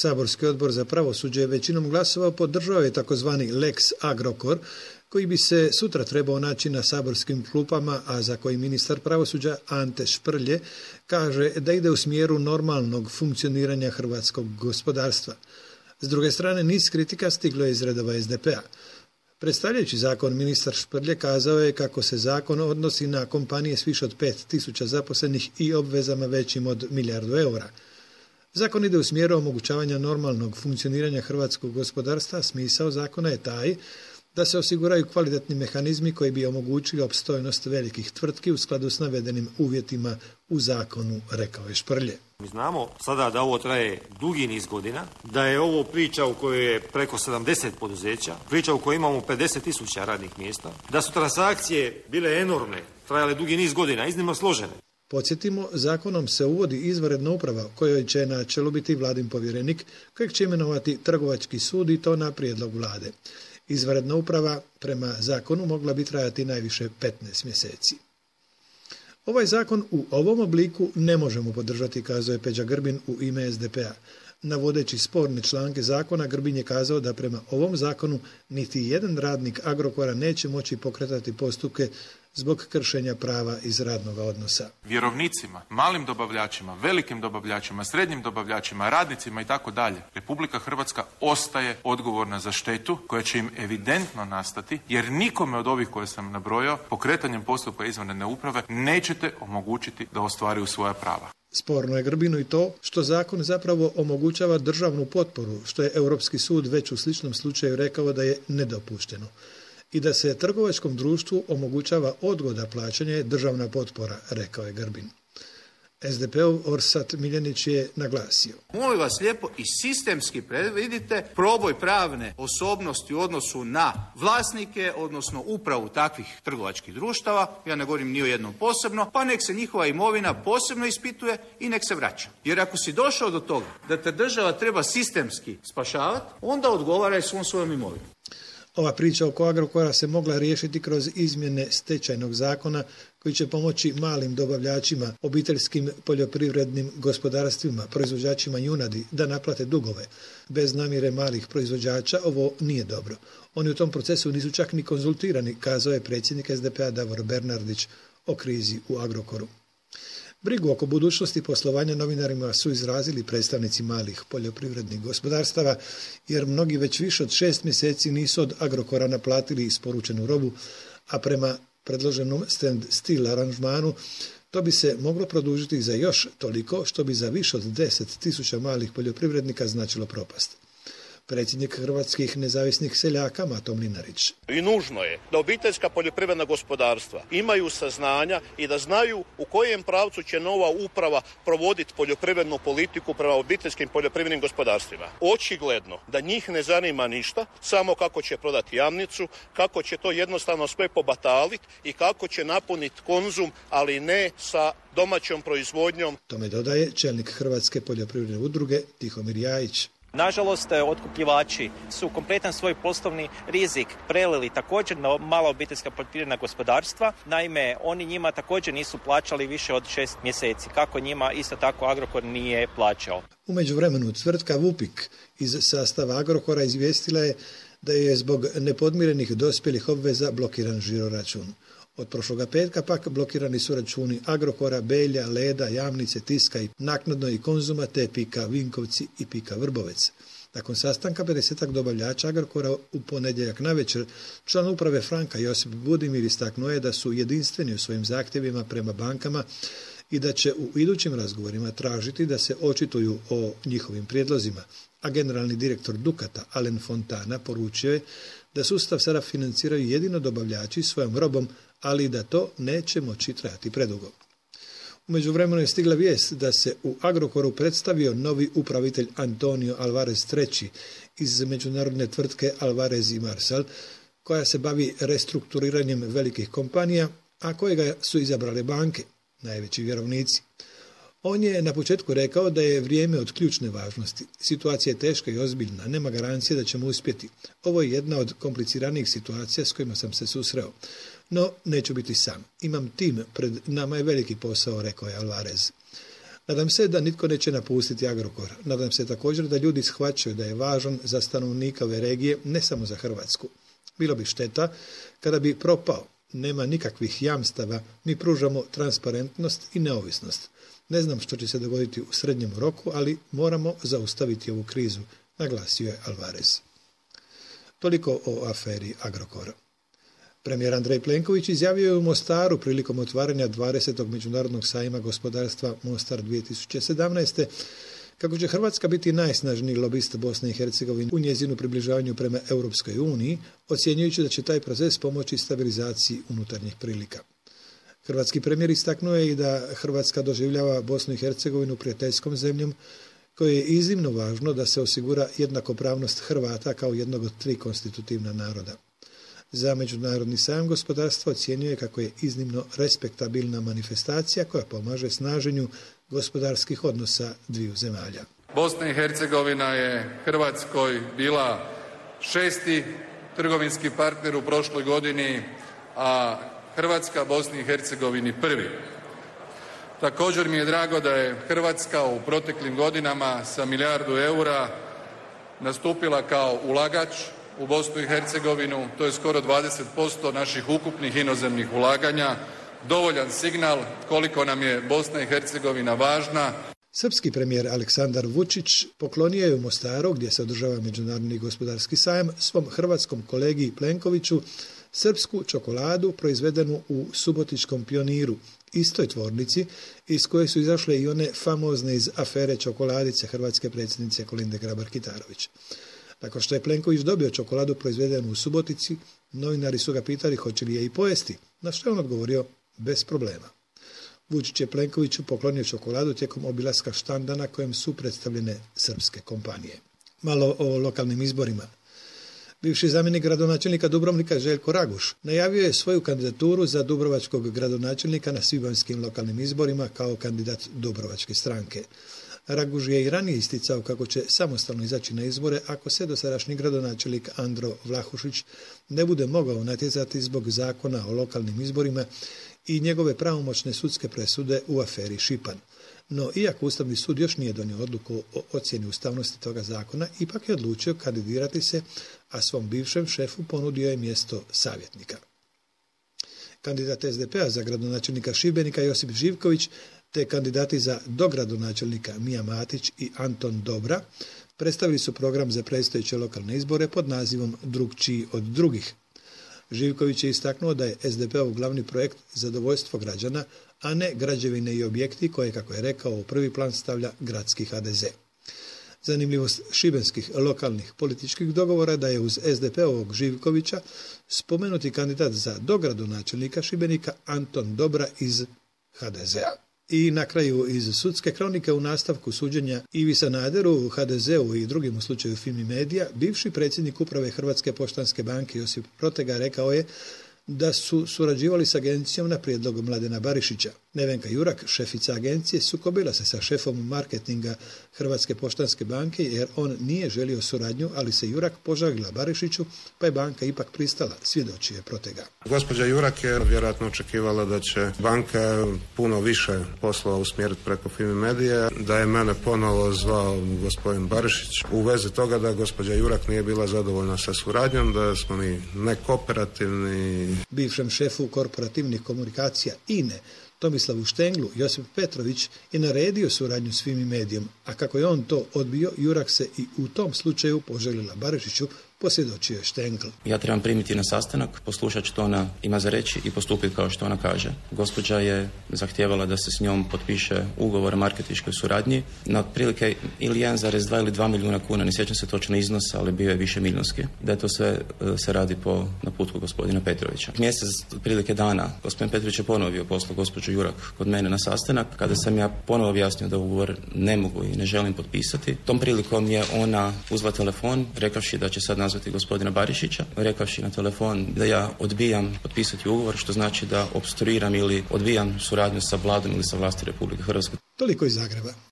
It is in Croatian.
Saborski odbor za pravosuđe većinom glasova podržao je takozvani Lex Agrokor, koji bi se sutra trebao naći na saborskim klupama, a za koji ministar pravosuđa Ante Šprlje kaže da ide u smjeru normalnog funkcioniranja hrvatskog gospodarstva. S druge strane, niz kritika stiglo je iz redova SDP-a. Predstavljajući zakon, ministar Šprlje kazao je kako se zakon odnosi na kompanije s više od 5.000 zaposlenih i obvezama većim od 1 milijardu eura. Zakon ide u smjeru omogućavanja normalnog funkcioniranja hrvatskog gospodarstva, a smisao zakona je taj da se osiguraju kvalitetni mehanizmi koji bi omogućili opstojnost velikih tvrtki u skladu s navedenim uvjetima u zakonu, rekao je Šprlje. Mi znamo sada da ovo traje dugi niz godina, da je ovo priča u kojoj je preko 70 poduzeća, priča u kojoj imamo 50.000 radnih mjesta, da su transakcije bile enormne, trajale dugi niz godina, iznimno složene. Podsjetimo, zakonom se uvodi izvanredna uprava kojoj će na čelu biti vladin povjerenik, kojeg će imenovati trgovački sud i to na prijedlog vlade. Izvanredna uprava prema zakonu mogla bi trajati najviše 15 mjeseci. Ovaj zakon u ovom obliku ne možemo podržati, kazao je Peđa Grbin u ime SDP-a. Navodeći sporne članke zakona, Grbin je kazao da prema ovom zakonu niti jedan radnik Agrokora neće moći pokretati postupke zbog kršenja prava iz radnog odnosa. Vjerovnicima, malim dobavljačima, velikim dobavljačima, srednjim dobavljačima, radnicima i tako dalje, Republika Hrvatska ostaje odgovorna za štetu koja će im evidentno nastati, jer nikome od ovih koje sam nabrojao pokretanjem postupka izvanredne uprave nećete omogućiti da ostvaruju svoja prava. Sporno je Grbinu i to što zakon zapravo omogućava državnu potporu, što je Europski sud već u sličnom slučaju rekao da je nedopušteno. I da se trgovačkom društvu omogućava odgoda plaćanja je državna potpora, rekao je Grbin. SDP-ov Orsat Miljenić je naglasio. Molim vas lijepo i sistemski predvidite proboj pravne osobnosti u odnosu na vlasnike, odnosno upravu takvih trgovačkih društava, ja ne govorim ni o jednom posebno, pa nek se njihova imovina posebno ispituje i nek se vraća. Jer ako si došao do toga da te država treba sistemski spašavati, onda odgovaraj svom svojom imovinom. Ova priča oko Agrokora se mogla riješiti kroz izmjene stečajnog zakona koji će pomoći malim dobavljačima, obiteljskim poljoprivrednim gospodarstvima, proizvođačima junadi da naplate dugove. Bez namjere malih proizvođača ovo nije dobro. Oni u tom procesu nisu čak ni konzultirani, kazao je predsjednik SDP-a Davor Bernardić o krizi u Agrokoru. Brigu oko budućnosti poslovanja novinarima su izrazili predstavnici malih poljoprivrednih gospodarstava, jer mnogi već više od 6 mjeseci nisu od Agrokora naplatili isporučenu robu, a prema predloženom stand still aranžmanu to bi se moglo produžiti za još toliko, što bi za više od 10.000 malih poljoprivrednika značilo propast. Predsjednik Hrvatskih nezavisnih seljaka Mato Mlinarić. I nužno je da obiteljska poljoprivredna gospodarstva imaju saznanja i da znaju u kojem pravcu će nova uprava provoditi poljoprivrednu politiku prema obiteljskim poljoprivrednim gospodarstvima. Očigledno da njih ne zanima ništa, samo kako će prodati Jamnicu, kako će to jednostavno sve pobataliti i kako će napuniti konzum, ali ne sa domaćom proizvodnjom. Tome dodaje čelnik Hrvatske poljoprivredne udruge Tihomir Jajić. Nažalost, otkupljivači su kompletan svoj poslovni rizik prelili također na mala obiteljska poljoprivredna gospodarstva. Naime, oni njima također nisu plaćali više od 6 mjeseci. Kako njima, isto tako Agrokor nije plaćao. U međuvremenu tvrtka Vupik iz sastava Agrokora izvijestila je da je zbog nepodmirenih dospjelih obveza blokiran žiroračun. Od prošloga petka pak blokirani su računi Agrokora, Belja, Leda, Jamnice, Tiska i naknadno i Konzuma te Pika Vinkovci i Pika Vrbovec. Nakon sastanka 50-ak dobavljača Agrokora u ponedjeljak navečer, član uprave Franka Josip Budimir istaknuo je da su jedinstveni u svojim zahtjevima prema bankama i da će u idućim razgovorima tražiti da se očituju o njihovim prijedlozima. A generalni direktor Dukata, Alen Fontana, poručio je da sustav sada financiraju jedino dobavljači svojom robom, ali da to neće moći trajati predugo. U međuvremenu je stigla vijest da se u Agrokoru predstavio novi upravitelj Antonio Alvarez III iz međunarodne tvrtke Alvarez i Marsal, koja se bavi restrukturiranjem velikih kompanija, a kojega su izabrale banke, najveći vjerovnici. On je na početku rekao da je vrijeme od ključne važnosti. Situacija je teška i ozbiljna, nema garancije da ćemo uspjeti. Ovo je jedna od kompliciranijih situacija s kojima sam se susreo. No, neću biti sam. Imam tim, pred nama je veliki posao, rekao je Alvarez. Nadam se da nitko neće napustiti Agrokor. Nadam se također da ljudi shvaćaju da je važan za stanovnika ove regije, ne samo za Hrvatsku. Bilo bi šteta kada bi propao. Nema nikakvih jamstava, mi pružamo transparentnost i neovisnost. Ne znam što će se dogoditi u srednjem roku, ali moramo zaustaviti ovu krizu, naglasio je Alvarez. Toliko o aferi Agrokora. Premijer Andrej Plenković izjavio je u Mostaru prilikom otvaranja 20. Međunarodnog sajma gospodarstva Mostar 2017. kako će Hrvatska biti najsnažniji lobist Bosne i Hercegovine u njezinu približavanju prema Europskoj uniji, ocjenjujući da će taj proces pomoći stabilizaciji unutarnjih prilika. Hrvatski premijer istaknuo je i da Hrvatska doživljava Bosnu i Hercegovinu prijateljskom zemljom, koje je iznimno važno da se osigura jednakopravnost Hrvata kao jednog od 3 konstitutivna naroda. Za Međunarodni sajam gospodarstva ocjenjuje kako je iznimno respektabilna manifestacija koja pomaže snaženju gospodarskih odnosa dviju zemalja. Bosna i Hercegovina je Hrvatskoj bila 6. trgovinski partner u prošloj godini, a Hrvatska Bosni i Hercegovini 1. Također mi je drago da je Hrvatska u proteklim godinama sa milijardu eura nastupila kao ulagač u Bosnu i Hercegovinu. To je skoro 20% naših ukupnih inozemnih ulaganja. Dovoljan signal koliko nam je Bosna i Hercegovina važna. Srpski premijer Aleksandar Vučić poklonio je u Mostaru, gdje se održava Međunarodni gospodarski sajam, svom hrvatskom kolegi Plenkoviću srpsku čokoladu proizvedenu u subotičkom Pioniru, istoj tvornici iz koje su izašle i one famozne iz afere čokoladice hrvatske predsjednice Kolinde Grabar-Kitarović. Nakon što je Plenković dobio čokoladu proizvedenu u Subotici, novinari su ga pitali hoće li je i pojesti, na što je on odgovorio bez problema. Vučić je Plenkoviću poklonio čokoladu tijekom obilaska štanda na kojem su predstavljene srpske kompanije. Malo o lokalnim izborima. Bivši zamjenik gradonačelnika Dubrovnika Željko Raguš najavio je svoju kandidaturu za dubrovačkog gradonačelnika na svibanjskim lokalnim izborima kao kandidat Dubrovačke stranke. Raguž je i ranije isticao kako će samostalno izaći na izbore ako se dosadašnji gradonačelnik Andro Vlahušić ne bude mogao natjecati zbog zakona o lokalnim izborima i njegove pravomoćne sudske presude u aferi Šipan. No, iako Ustavni sud još nije donio odluku o ocjeni ustavnosti toga zakona, ipak je odlučio kandidirati se, a svom bivšem šefu ponudio je mjesto savjetnika. Kandidat SDP-a za gradonačelnika Šibenika Josip Živković te kandidati za dogradonačelnika Mija Matić i Anton Dobra predstavili su program za predstojeće lokalne izbore pod nazivom Drukčiji od drugih. Živković je istaknuo da je SDP-ov glavni projekt zadovoljstvo građana, a ne građevine i objekti koje, kako je rekao, u prvi plan stavlja gradski HDZ. Zanimljivost šibenskih lokalnih političkih dogovora da je uz SDP-ovog Živkovića spomenuti kandidat za dogradonačelnika Šibenika Anton Dobra iz HDZ-a. I na kraju iz sudske kronike u nastavku suđenja Ivi Sanaderu, HDZ-u i drugim u slučaju Fimi Medija, bivši predsjednik uprave Hrvatske poštanske banke Josip Protega rekao je da su surađivali s agencijom na prijedlog Mladena Barišića. Nevenka Jurak, šefica agencije, sukobila se sa šefom marketinga Hrvatske poštanske banke jer on nije želio suradnju, ali se Jurak požalila Barišiću, pa je banka ipak pristala, svjedoči je Protega. Gospođa Jurak je vjerojatno očekivala da će banka puno više poslova usmjeriti preko Fimi Medije, da je mene ponovo zvao gospodin Barišić u vezi toga da gospođa Jurak nije bila zadovoljna sa suradnjom, da smo mi nekooperativni. Bivšem šefu korporativnih komunikacija INE Tomislavu Štenglu Josip Petrović je naredio suradnju s Fimi Medijom, a kako je on to odbio, Jurak se i u tom slučaju poželila Barišiću, posvjedočio je Štengl. Ja trebam primiti na sastanak, poslušati što ona ima za reći i postupiti kao što ona kaže. Gospođa je zahtijevala da se s njom potpiše ugovor o marketinškoj suradnji na otprilike ili 1,2 ili 2 milijuna kuna, ne sjećam se točno iznosa, ali bio je više milijunski. Da je to sve se radi po naputku gospodina Petrovića. Mjesec otprilike dana gospodin Petrović je ponovo bio poslao gospođu Jurak kod mene na sastanak, kada sam ja ponovo objasnio da ugovor ne mogu i ne želim potpisati. Tom prilikom je ona uzela telefon, rekavši da će sad nazvati gospodina Barišića, rekavši na telefon da ja odbijam potpisati ugovor, što znači da opstruiram ili odbijam suradnju sa vladom ili sa vlasti Republike Hrvatske. Toliko iz Zagreba.